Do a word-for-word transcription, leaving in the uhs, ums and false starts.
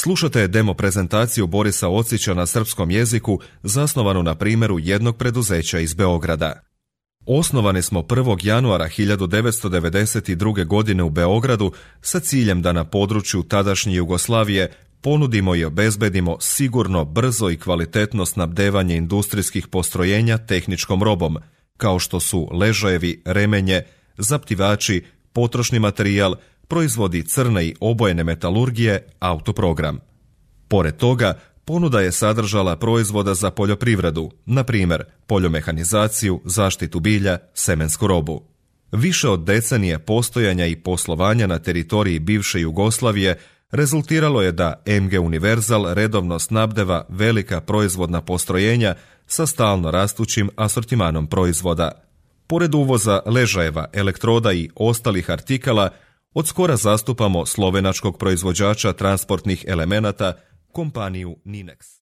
Slušate demo prezentaciju Borisa Ocića na srpskom jeziku, zasnovanu na primjeru jednog preduzeća iz Beograda. Osnovani smo prvog januara hiljadu devetsto devedeset druge. godine u Beogradu sa ciljem da na području tadašnje Jugoslavije ponudimo i obezbedimo sigurno, brzo i kvalitetno snabdevanje industrijskih postrojenja tehničkom robom, kao što su ležajevi, remenje, zaptivači, potrošni materijal, proizvodi crne i obojene metalurgije, autoprogram. Pored toga, ponuda je sadržala proizvoda za poljoprivredu, na primjer poljomehanizaciju, zaštitu bilja, semensku robu. Više od decenije postojanja i poslovanja na teritoriji bivše Jugoslavije rezultiralo je da M G Univerzal redovno snabdeva velika proizvodna postrojenja sa stalno rastućim asortimanom proizvoda. Pored uvoza ležajeva, elektroda i ostalih artikala, od skora zastupamo slovenačkog proizvođača transportnih elemenata, kompaniju Ninex.